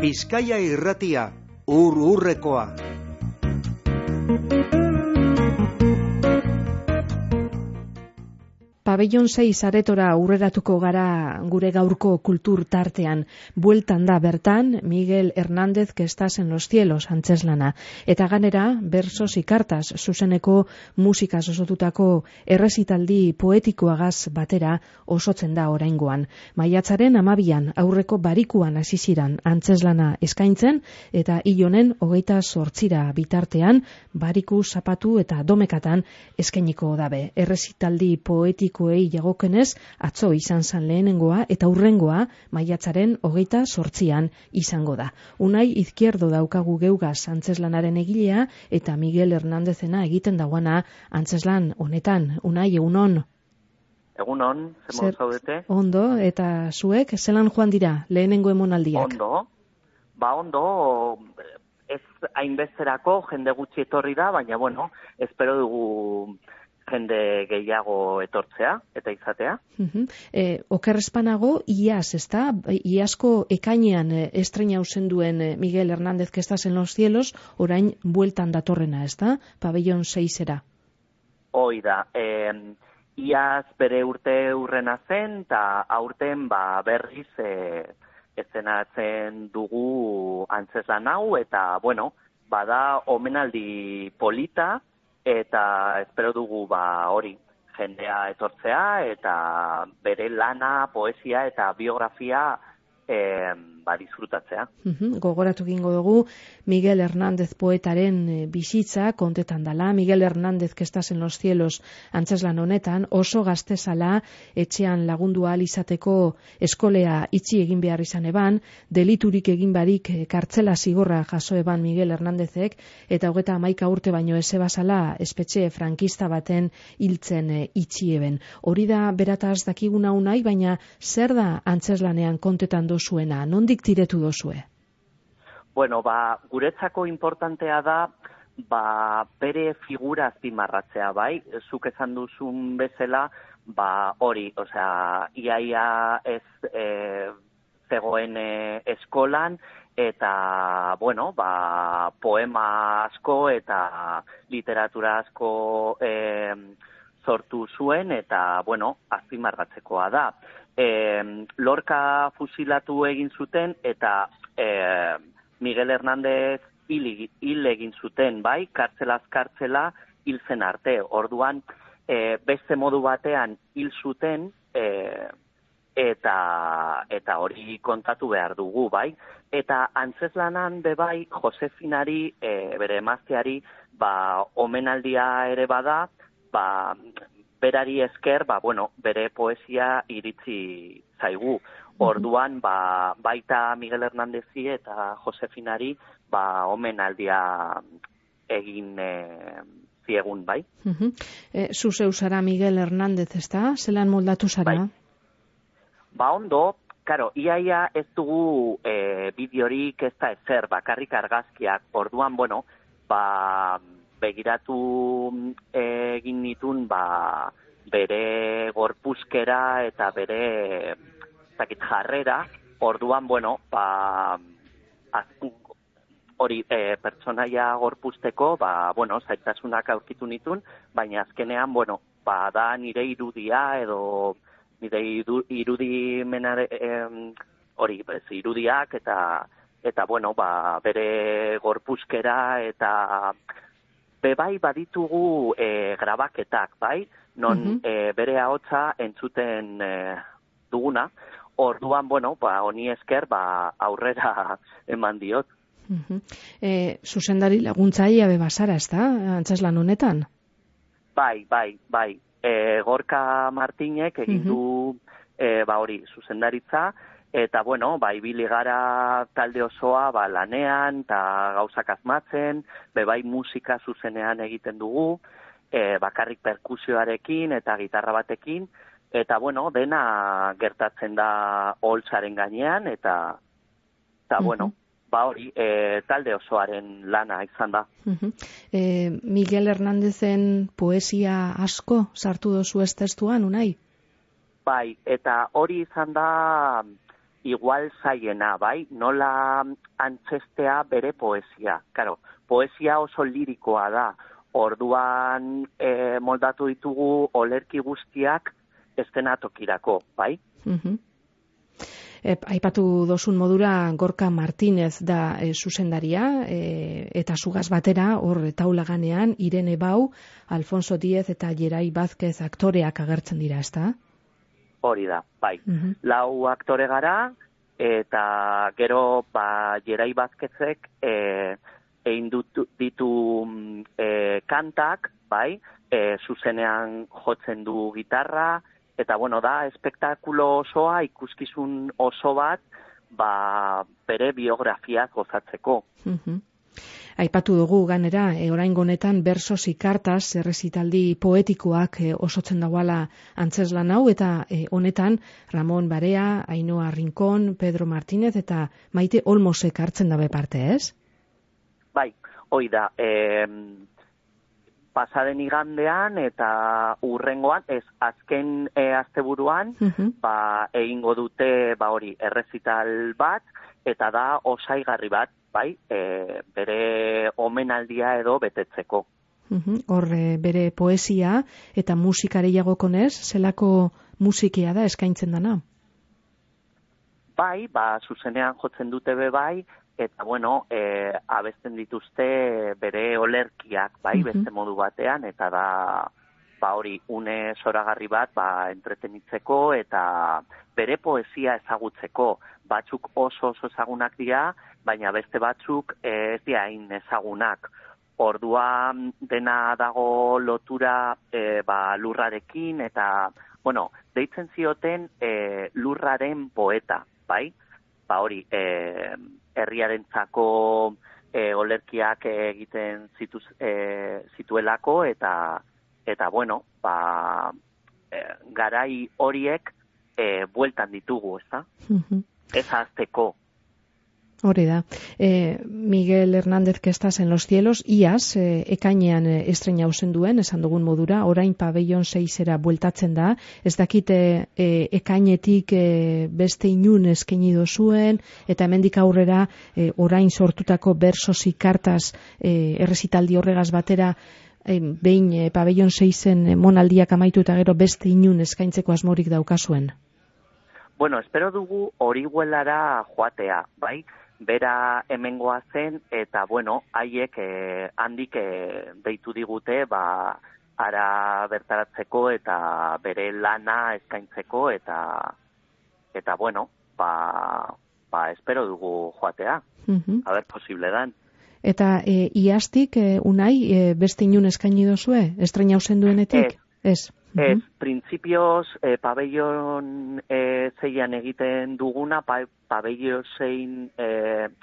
Bizkaia Irratia, ur-urrekoa. Pabellon 6 aretora aurreratuko gara gure gaurko kultur tartean. Bueltan da bertan Miguel Hernández que estás en los cielos antzeslana. Eta ganera, versos y cartas zuzeneko musikaz osotutako errezitaldi poetikoagaz batera osotzen da oraingoan. Maiatzaren 12an aurreko barikuan hasi ziran antzeslana eskaintzen eta hil honen 28 bitartean bariku, zapatu eta domekatan eskainiko dabe. Errezitaldi poetikoei jagokenez atzo izan zan lehenengoa eta hurrengoa maiatzaren 28an izango da. Unai Izquierdo daukagu geugaz antzeslanaren egilea eta Miguel Hernándezena egiten dagoana antzeslan honetan. Unai, egunon? Egunon, zer zaudete? Ondo, eta zuek, zelan joan dira lehenengo emonaldiak? Ondo, ez hainbezerako jende gutxi etorri da, baina bueno, espero dugu jende gehiago etortzea eta izatea. Okerrezpanago, iaz, ezta? Iazko ekainean estreinau zenduen Miguel Hernández que estás en los cielos, orain bueltan datorrena, ezta? Pabellon 6era. Hoi da, iaz bere urte urrena zen, eta aurten berriz eszenatzen dugu antzeslan hau, eta bueno, bada omenaldi polita, eta espero dugu hori jendea etortzea eta bere lana, poesia eta biografia disfrutatzea. Gogoratu gingo dugu Miguel Hernández poetaren bizitza kontetan dala. Miguel Hernández que estás en los cielos antzeslan honetan oso gaztezala etxean lagundu ahal izateko eskolea itxi egin behar izan eban, deliturik egin barik kartzela zigorra jaso eban Miguel Hernándezek eta 31 urte baino ezebazala espetxe frankista baten hiltzen itxi eben. Hori da berataz dakiguna unai, baina zer da antzeslanean kontetan dozuena? Nondik tiretu dozue? Bueno, guretzako importantea da bere figura azpimarratzea, bai? Zuk esan duzun bezala, hori, iaia ez zegoen eskolan, eta, bueno, poema asko eta literatura asko sortu zuen, eta, bueno, azpimarratzekoa da. Lorca fusilatu egin zuten eta Miguel Hernández hil egin zuten, bai, kartzelaz kartzela hil zen arte. Orduan, beste modu batean hil zuten eta hori kontatu behar dugu, bai. Eta antzeslanan bai, Josefinari, bere emazteari, omenaldia ere bada, berari esker, bere poesia iritsi zaigu. Orduan, baita Miguel Hernándezi eta Josefinari, omenaldia egin ziegun, bai. Zuzeu zara Miguel Hernández, ezta? Zelan moldatu zara? Ondo, karo, iaia ez dugu bideorik ez da ezer, bakarrik argazkiak. Orduan, bueno, begiratu egin nitun bere gorpuzkera eta bere jarrera. Orduan, bueno, hori pertsonaia gorpuzteko, zaitasunak aurkitu nitun, baina azkenean, bueno, da nire irudia edo nire irudimenare hori, irudiak eta bueno, bere gorpuzkera eta bai baditugu grabaketak, bai, non bere ahotsa entzuten duguna. Orduan, bueno, honi esker aurrera eman diot. Zuzendari laguntzailea bebazara, ezta, antzeslan honetan? Bai. Gorka Martinek egin du hori zuzendaritza, eta, bueno, ibili gara talde osoa lanean eta gauzak asmatzen, bai musika zuzenean egiten dugu, bakarrik perkusioarekin eta gitarra batekin, eta, bueno, dena gertatzen da holtzaren gainean, eta bueno, hori, talde osoaren lana izan da. Miguel Hernándezen poesia asko sartu dozu ez testuan, unai? Bai, eta hori izan da igual zaiena, bai? Nola antzestea bere poesia. Karo, poesia oso lirikoa da. Orduan moldatu ditugu olerki guztiak estenatokirako, bai? Aipatu dozun modura Gorka Martínez da zuzendaria, eta zugaz batera, hor taulaganean, Irene Bau, Alfonso Díez eta Jerai Vázquez aktoreak agertzen dira, ezta? Hori da, bai. Lau aktore gara, eta gero Jerai Vázquezek egin ditu kantak, bai, zuzenean jotzen du gitarra, eta da, espektakulo osoa, ikuskizun oso bat, bere biografiaz gozatzeko. Aipatu dugu ganera, oraingo honetan bersos y cartas errezitaldi poetikoak osotzen dagoala antzeslan hau, eta honetan Ramon Barea, Ainhoa Rincón, Pedro Martínez eta Maite Olmosek hartzen dabe parte, ez? Bai, hoi da, pasaden igandean eta urrengoan, azken asteburuan, egingo dute hori errezital bat, eta da osaigarri bat, bai, bere omenaldia edo betetzeko. Hor bere poesia eta musikare jagokonez, zelako musikia da eskaintzen dana? Bai, zuzenean jotzen dute bai, eta abesten dituzte bere olerkiak, bai, beste modu batean, eta da hori une zoragarri bat entretenitzeko eta bere poesia ezagutzeko. Batzuk oso ezagunak dira, baina beste batzuk ez dira hain ezagunak. Orduan dena dago lotura lurrarekin, eta deitzen zioten lurraren poeta, bai? Hori, herriarentzako olerkiak egiten zituelako, eta garai horiek bueltan ditugu, ezta? Ez azteko. Hori da. Miguel Hernández que estás en los cielos, iaz, ekainean estrena duen, esan dugun modura, orain pabellon 6era bueltatzen da, ez dakite ekainetik beste inun eskaini dozuen, eta hemendik aurrera orain sortutako bersos y cartas errezitaldi horregaz batera, behin pabellon 6en monaldiak amaitu eta gero beste inun eskaintzeko asmorik daukazuen? Espero dugu Orihuelara joatea, bai? Bera hemengoa zen, eta haiek handik deitu digute, ara bertaratzeko eta bere lana eskaintzeko, eta espero dugu joatea. A ber, posible dan. Eta iaztik, Unai, beste inun eskaini dozue? Estrena hausen duenetik? Ez. Printzipioz, pabellon 6an egiten duguna, pabellon 6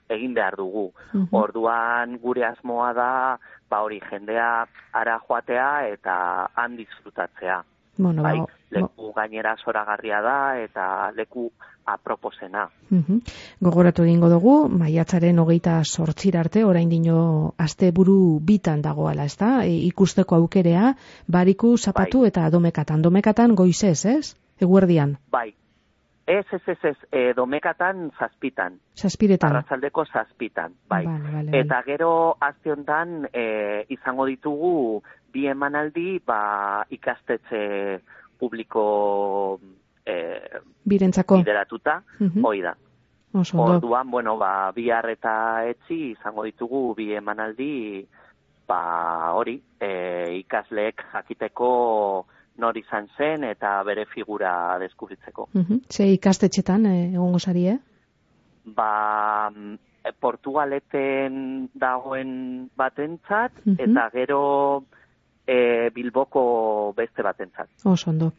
egin behar dugu. Orduan gure asmoa da, hori jendea ara joatea eta han disfrutatzea. Leku gainera zoragarria da eta leku aproposena. Gogoratu egingo dugu, maiatzaren 28 arte, orain dino asteburu bitan dagoala, ezta? Ikusteko aukerea, Bariku, Zapatu eta Domekatan. Domekatan goizez, ez? Eguerdian. Bai. Ez, Domekatan 7. 7. Arratsaldeko 7, bai. Vale. Eta gero aste honetan izango ditugu bi emanaldi ikastetxe publiko birentzako bideratuta, hoi da. Orduan, bihar eta etzi izango ditugu bi emanaldi, hori, ikasleek jakiteko nor izan zen eta bere figura deskubritzeko. Ze ikastetxetan egongo sari, Portugaleten dagoen batentzat, eta gero Bilboko beste batentzat. Ondo.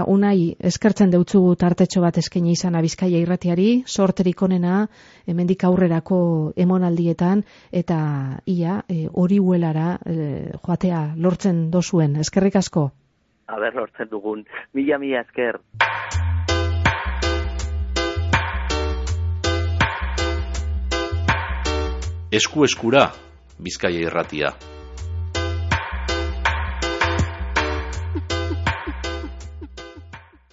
Unai, eskertzen deutzugu tartetxo bat eskaini izan Bizkaia irratiari, sorterik onena, hemendik aurrerako emonaldietan, eta ia Orihuelara joatea lortzen dozuen. Eskerrik asko. Aber, lortzen dugun. Mila esker. Esku eskura, Bizkaia irratia.